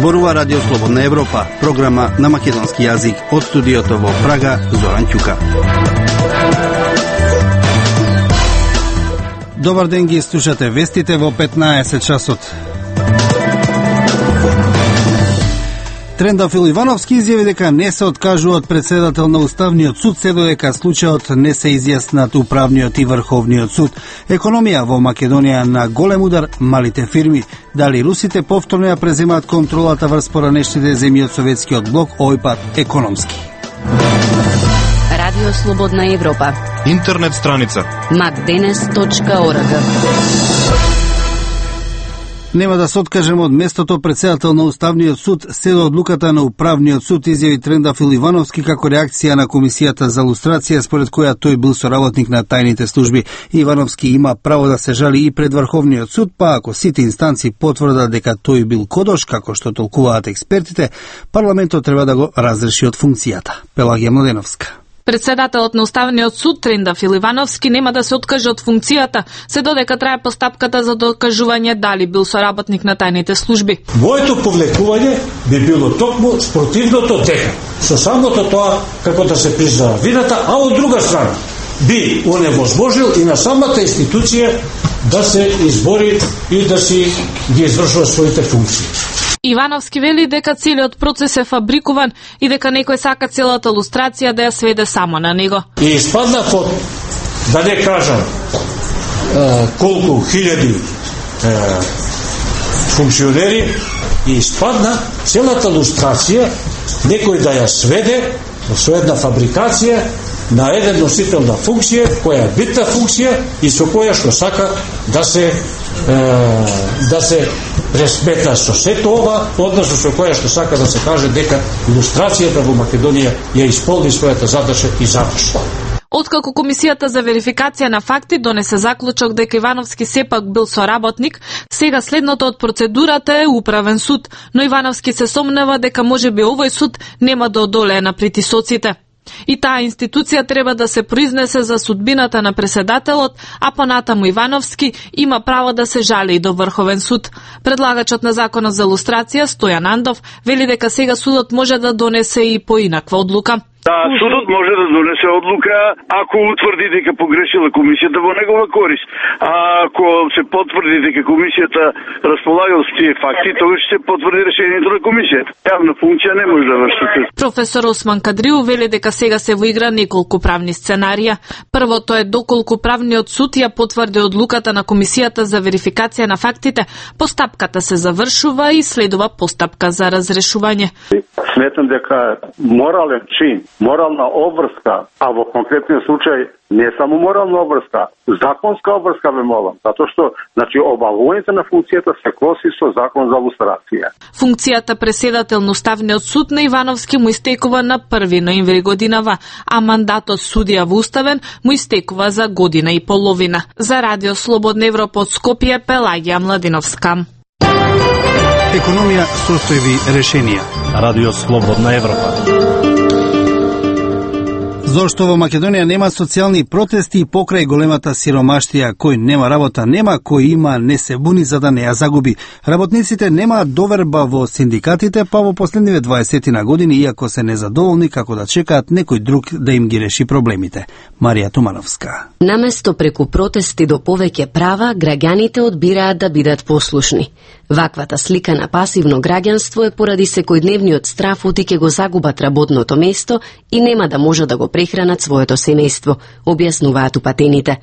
Зборува Радио Слободна Европа, програма на македонски јазик од студиото во Прага, Зоран Ќука. Добар ден, ги слушате вестите во 15 часот. Трендафил Ивановски изјави дека не се откажува од председател на Уставниот суд се додека случајот не се изјаснат Управниот и Врховниот суд. Економија во Македонија на голем удар малите фирми. Дали русите повторно ја преземаат контролата врз поранешните земји од Советскиот блок, овој пат економски. Радио Слободна Европа. Интернет страница macdenes.org. Нема да се откажем од местото председател на Уставниот суд се до одлуката на Управниот суд, изјави Трендафил Ивановски како реакција на Комисијата за лустрација, според која тој бил соработник на тајните служби. Ивановски има право да се жали и пред Врховниот суд, па ако сите инстанци потврдат дека тој бил кодош, како што толкуваат експертите, парламентот треба да го разреши од функцијата. Пелагија Младеновска. Председателот на Уставниот суд Трендафил Ивановски нема да се откаже од функцијата, се додека трае постапката за докажување дали бил соработник на тајните служби. Моето повлекување би било токму спротивното, дека со самото тоа како да се признава вината, а од друга страна би оневозможил и на самата институција да се избори и да си ги извршува своите функции. Ивановски вели дека целиот процес е фабрикуван и дека некој сака целата лустрација да ја сведе само на него. И испадна под, да не кажам, колку хиляди функционери, и испадна целата лустрација некој да ја сведе со една фабрикација на еден носител на функција, која е битна функција и со која што сака да се пресмета со сето ова, односно со која што сака да се каже дека илустрацијата во Македонија ја исполни својата задача и заврши. Откако Комисијата за верификација на факти донесе заклучок дека Ивановски сепак бил соработник, сега следното од процедурата е Управен суд, но Ивановски се сомнева дека можеби овој суд нема да одолее на притисоците. И таа институција треба да се произнесе за судбината на преседателот, а понатаму Ивановски има право да се жали и до Врховен суд. Предлагачот на законот за лустрација Стојан Андов вели дека сега судот може да донесе и поинаква одлука. Да, судот може да донесе одлука ако утврди дека погрешила комисијата во негова корист. А ако се потврди дека комисијата располага со тие факти, тогаш ќе се потврди решението на комисијата. Јавна функција не може да врши. Професор Осман Кадриу вели дека сега се во игра неколку правни сценарија. Првото е доколку правниот суд ја потврди одлуката на Комисијата за верификација на фактите, постапката се завршува и следува постапка за разрешување. Сметам дека морален чин, морална обврска, а во конкретниот случај не само морална обврска, законска обврска ве молам, затоа што обавувањето на функцијата се коси со закон за лустрација. Функцијата преседател на Уставниот суд на Ивановски му истекува на 1 ноември годинава, а мандатот судија во Уставен му истекува за година и половина. За Радио Слободна Европа од Скопје, Пелагија Младеновска. Економија, состојби, решенија. Радио Слободна Европа. Зошто во Македонија нема социјални протести и покрај големата сиромаштија, кој нема работа нема, кој има не се буни за да не ја загуби. Работниците немаат доверба во синдикатите, па во последниве 20 на години, иако се незадоволни како да чекаат некој друг да им ги реши проблемите. Марија Тумановска. Наместо преку протести до повеќе права, граѓаните одбираат да бидат послушни. Ваквата слика на пасивно граѓанство е поради секојдневниот страф оти ќе го загубат работното место и нема да може да го прехранат своето семејство, објаснуваат упатените.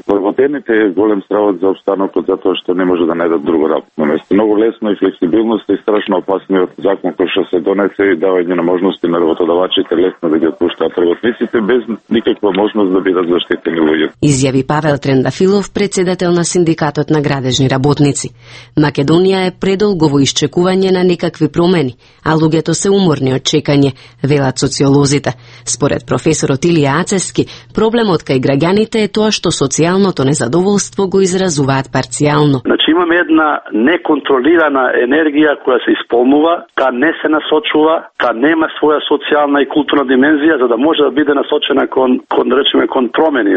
Вработените е голем стравот за обстанокот затоа што не може да најдат друго работно место. Многу лесно и флексибилност и страшно опасниот закон кој што се донесе и давање на можности на работодавачите лесно да ги отпуштаат работниците без никаква можност да бидат заштитени луѓе. Изјави Павел Трендафилов, председател на синдикатот на градежни работници. Македонија е предолго во исчекување на некакви промени, а луѓето се уморни од чекање, велат социолозите. Според професорот Илија Ацески, проблемот кај граѓаните е тоа што социјалното незадоволство го изразуваат парцијално. Значи имаме една неконтролирана енергија која се исполнува, та не се насочува, та нема своја социјална и културна димензија за да може да биде насочена кон да речеме кон промени.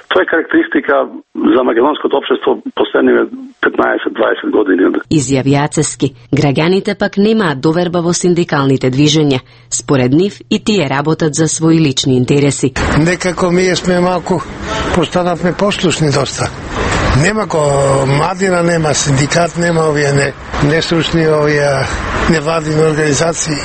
Тоа е карактеристика за македонското општество последниве 15-20 години. Изјави Ацески, граѓаните пак немаат доверба во синдикалните движења. Според нив и тие работат за своји лични интереси. Некако ние сме малку постанавме послушни доста. Нема младина, нема синдикат, нема овие нестручни овие невладини организации.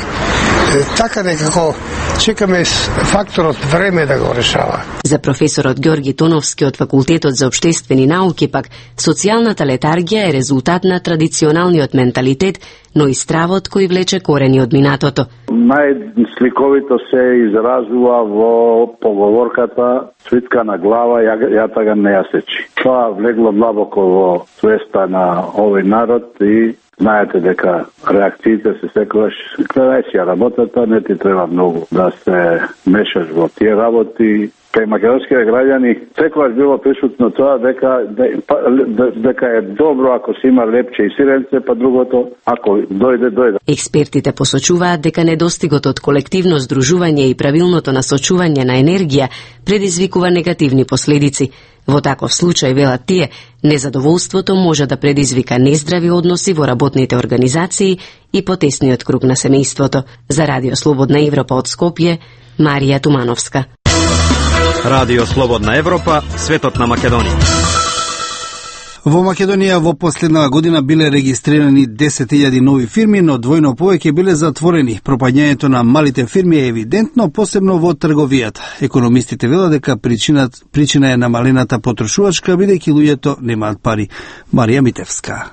Така некако чекаме факторот време да го решава. За професорот Ѓорги Тоновски од Факултетот за општествени науки пак, социјалната летаргија е резултат на традиционалниот менталитет, но и стравот кој влече корени од минатото. Најсликовито се изразува во поговорката "Цвитка на глава, јата га не ја сечи". Тоа влегло длабоко во свеста на овој народ и знаете дека реакциите се секогаш кај ја работата, не ти треба многу да се мешаш во тие работи. Кај македонските граѓани секогаш било присутно тоа дека е добро ако се има лепче и сиренце, па другото ако дојде. Експертите посочуваат дека недостигот од колективно здружување и правилното насочување на енергија предизвикува негативни последици. Во таков случај, велат тие, незадоволството може да предизвика нездрави односи во работните организации и потесниот круг на семејството. За Радио Слободна Европа од Скопје, Марија Тумановска. Радио Слободна Европа, светот на Македонија. Во Македонија во последнава година биле регистрирани 10.000 нови фирми, но двојно повеќе биле затворени. Пропаѓањето на малите фирми е евидентно, посебно во трговијата. Економистите велат дека причина е намалената потрошувачка, бидејќи луѓето немаат пари. Марија Митевска.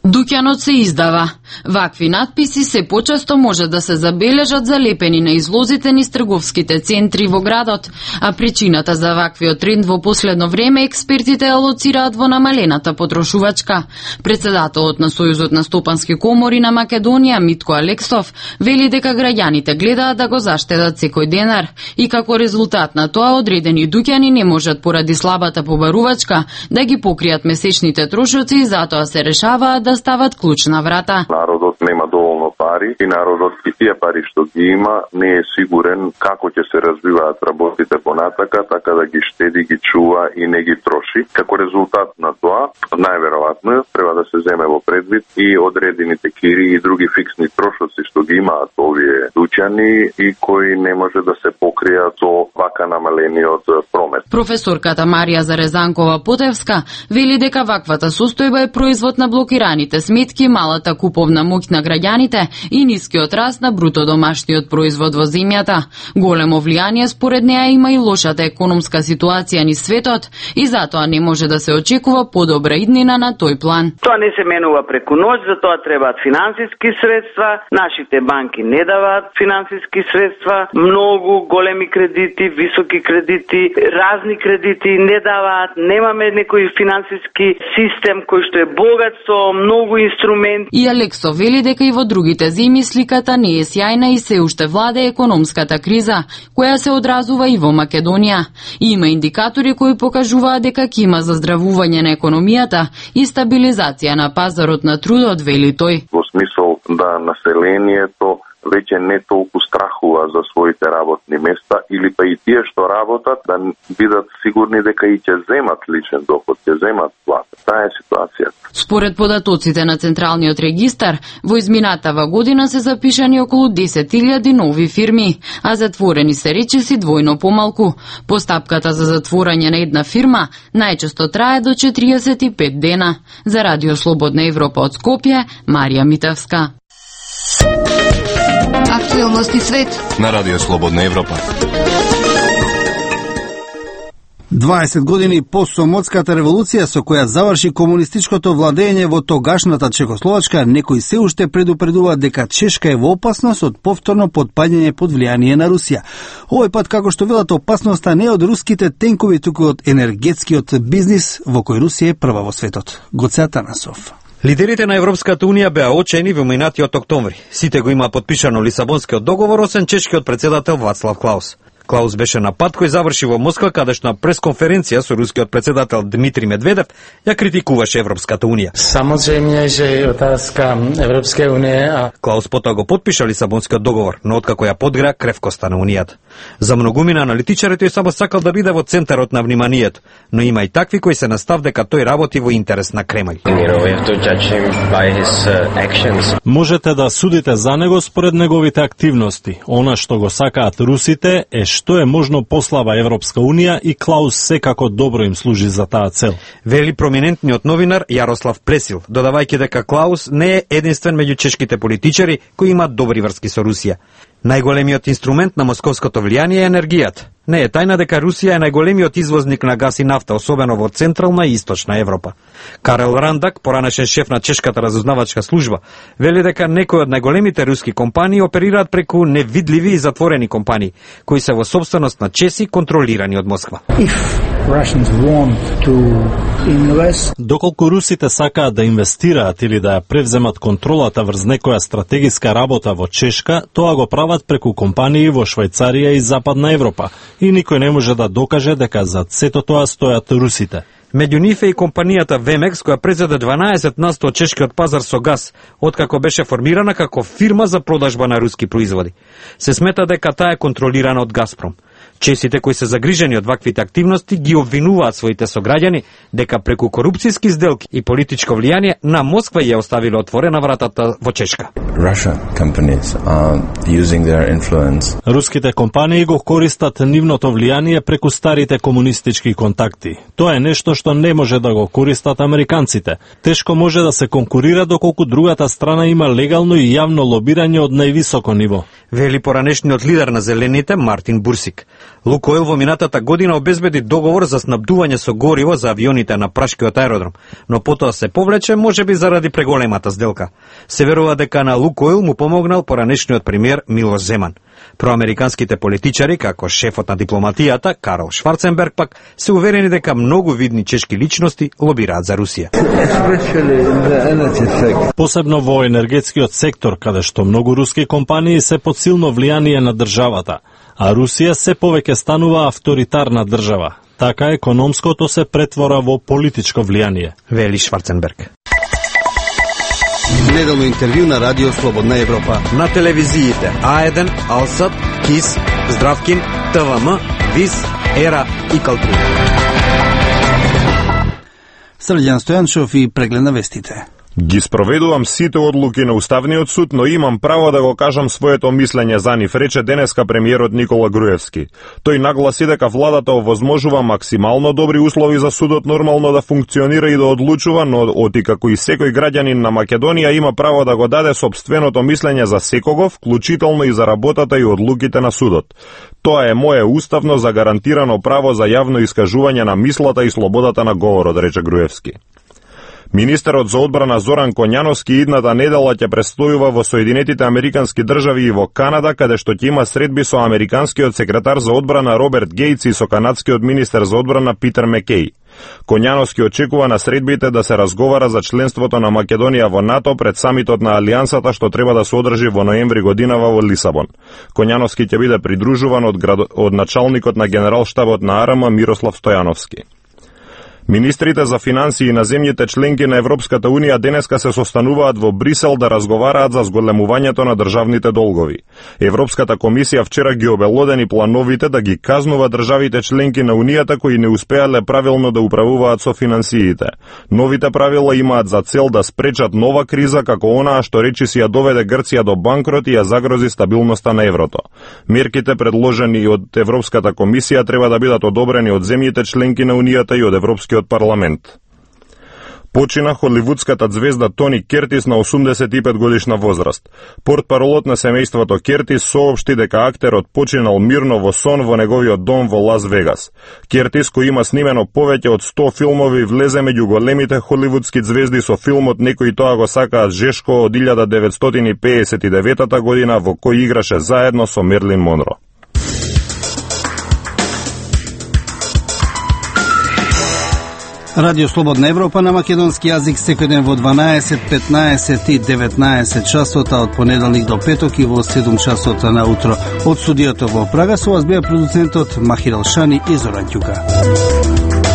Дуќанот се издава. Вакви надписи се почесто може да се забележат залепени на излозите низ трговските центри во градот, а причината за ваквиот тренд во последно време експертите алоцираат во намалената потрошувачка. Председателот на Сојузот на стопански комори на Македонија, Митко Алексов, вели дека граѓаните гледаат да го заштедат секој денар и како резултат на тоа одредени дуќани не можат поради слабата побарувачка да ги покријат месечните трошоци и затоа се решаваат да стават клуч на врата. Народот нема доволно пари и народот и тие пари што ги има не е сигурен како ќе се развиваат работите понатака, така да ги штеди, ги чува и не ги троши. Како резултат на тоа, најверојатно треба да се земе во предвид и одредените кири и други фиксни трошоци што ги имаат овие дуќани и кои не може да се покријат со вака намалениот промет. Професорката Марија Зарезанкова-Потевска вели дека ваквата состојба е производ на блокираните сметки, малата куповна моќ на граѓаните и нискиот раст на бруто домашниот производ во земјата. Големо влијание според неа има и лошата економска ситуација низ светот и затоа не може да се очекува подобра иднина на тој план. Тоа не се менува преку ноќ, за тоа требаат финансиски средства, нашите банки не даваат финансиски средства, многу големи кредити, високи кредити, разни кредити не даваат, немаме некој финансиски систем кој што е богат со многу инструменти. И Алексо вели дека и во другите земи сликата не е сјајна и се уште владе економската криза, која се одразува и во Македонија. И има индикатори кои покажуваат дека ќе има заздравување на економијата и стабилизација на пазарот на трудот, вели тој. Во смисол да населението веќе не толку страхува за своите работни места или па и тие што работат да бидат сигурни дека и ќе земат личен доход, ќе земат плата. Таа е ситуацијата. Според податоците на Централниот регистар, во изминатава година се запишани околу 10.000 нови фирми, а затворени се речиси двојно помалку. Постапката за затворање на една фирма најчесто трае до 45 дена. За Радио Слободна Европа од Скопје, Марија Митевска. Актуелности свет на Радио Слободна Европа. 20 години по Сомотската револуција со која заврши комунистичкото владење во тогашната Чехословачка, некои се уште предупредуваат дека Чешка е во опасност од повторно потпаѓање под влијание на Русија. Овој пат, како што велат, опасноста не од руските тенкови, туку од енергетскиот бизнис во кој Русија е прва во светот. Гоце Атанасов. Лидерите на Европската Унија беа очени во минатиот октомври. Сите го има подпишано Лисабонскиот договор, освен чешкиот председател Вацлав Клаус. Клаус беше на пат кој заврши во Москва, каде што на пресконференција со рускиот председател Дмитрий Медведев ја критикуваше Европската унија. Samozrejme, že otázka Európskej únie. Клаус потоа го подпиша Лисабонскиот договор, но откако ја подгреа кревкоста на унијата. За многумина аналитичари тој само сакал да биде во центарот на вниманието, но има и такви кои се на став дека тој работи во интерес на Кремљ. Можете да судите за него според неговите активности. Она што го сакаат русите е што е можно послаба Европска унија и Клаус секако добро им служи за таа цел. Вели проминентниот новинар Јарослав Пресил, додавајќи дека Клаус не е единствен меѓу чешките политичари кои имаат добри врски со Русија. Најголемиот инструмент на московското влијание е енергијата. Не е тајна дека Русија е најголемиот извозник на газ и нафта, особено во Централна и Источна Европа. Карел Рандак, поранешен шеф на чешката разузнавачка служба, вели дека некои од најголемите руски компании оперираат преку невидливи и затворени компании, кои се во собственост на чеси контролирани од Москва. Доколку русите сакаат да инвестираат или да ја превземат контролата врз некоја стратегиска работа во Чешка, тоа го прават преку компании во Швајцарија и Западна Европа, и никој не може да докаже дека зад сето тоа стојат русите. Меѓу нив е и компанијата Вемекс, која презеде 12% од чешкиот пазар со газ, откако беше формирана како фирма за продажба на руски производи. Се смета дека таа е контролирана од Газпром. Чесите кои се загрижени од ваквите активности ги обвинуваат своите сограѓани дека преку корупцијски сделки и политичко влијание на Москва ја оставиле отворена вратата во Чешка. Руските компании го користат нивното влијание преку старите комунистички контакти. Тоа е нешто што не може да го користат американците. Тешко може да се конкурира доколку другата страна има легално и јавно лобирање од највисоко ниво. Вели поранешниот лидер на Зелените Мартин Бурсик. Лукойл во минатата година обезбеди договор за снабдување со гориво за авионите на прашкиот аеродром, но потоа се повлече можеби заради преголемата сделка. Се верува дека на Лукойл му помогнал поранешниот премиер Милош Земан. Проамериканските политичари, како шефот на дипломатијата Карл Шварценберг пак, се уверени дека многу видни чешки личности лобираат за Русија. Посебно во енергетскиот сектор, каде што многу руски компании се под силно влијание на државата, а Русија се повеќе станува авторитарна држава. Така економското се претвора во политичко влијание, вели Шварценберг. Неделно интервју на Радио Слободна Европа. На телевизиите А1, Алсат, КИС, Здравкин, ТВМ, ВИС, ЕРА и Калтри. Срđan Стојанчов и преглед на вестите. Ги спроведувам сите одлуки на Уставниот суд, но имам право да го кажам своето мислење за нив, рече денеска премиерот Никола Груевски. Тој нагласи дека владата овозможува максимално добри услови за судот нормално да функционира и да одлучува, но оти како и секој граѓанин на Македонија има право да го даде собственото мислење за секого, вклучително и за работата и одлуките на судот. Тоа е мое уставно загарантирано право за јавно искажување на мислата и слободата на говорот, рече Груевски. Министерот за одбрана Зоран Коњановски идната недела ќе престојува во Соединетите Американски држави и во Канада, каде што ќе има средби со американскиот секретар за одбрана Роберт Гейтс и со канадскиот министер за одбрана Питер Мекеј. Коњановски очекува на средбите да се разговара за членството на Македонија во НАТО пред самитот на Алијансата што треба да се одржи во ноември годинава во Лисабон. Коњановски ќе биде придружуван од началникот на генералштабот на АРМ Мирослав Стојановски. Министрите за финансии на земјите членки на Европската Унија денеска се состануваат во Брисел да разговараат за зголемувањето на државните долгови. Европската комисија вчера ги обелодени плановите да ги казнува државите членки на Унијата кои не успеале правилно да управуваат со финансиите. Новите правила имаат за цел да спречат нова криза како онаа што речиси ја доведе Грција до банкрот и ја загрози стабилноста на еврото. Мерките предложени од Европската комисија треба да бидат одобрени од земјите членки на Унијата и од Европскиот парламент. Почина холивудската звезда Тони Кертис на 85 годишна возраст. Портпаролот на семејството Кертис соопшти дека актерот починал мирно во сон во неговиот дом во Лас Вегас. Кертис, кој има снимено повеќе од 100 филмови, влезе меѓу големите холивудски звезди со филмот "Некои тоа го сакаат жешко" од 1959 година, во кој играше заедно со Мерлин Монро. Радио Слободна Европа на македонски јазик секој ден во 12, 15 и 19 часота од понеделник до петок и во 7 часота на утро. Од студиото во Прага со вас беа продуцентот Махир Алшани и Зоран Ќука.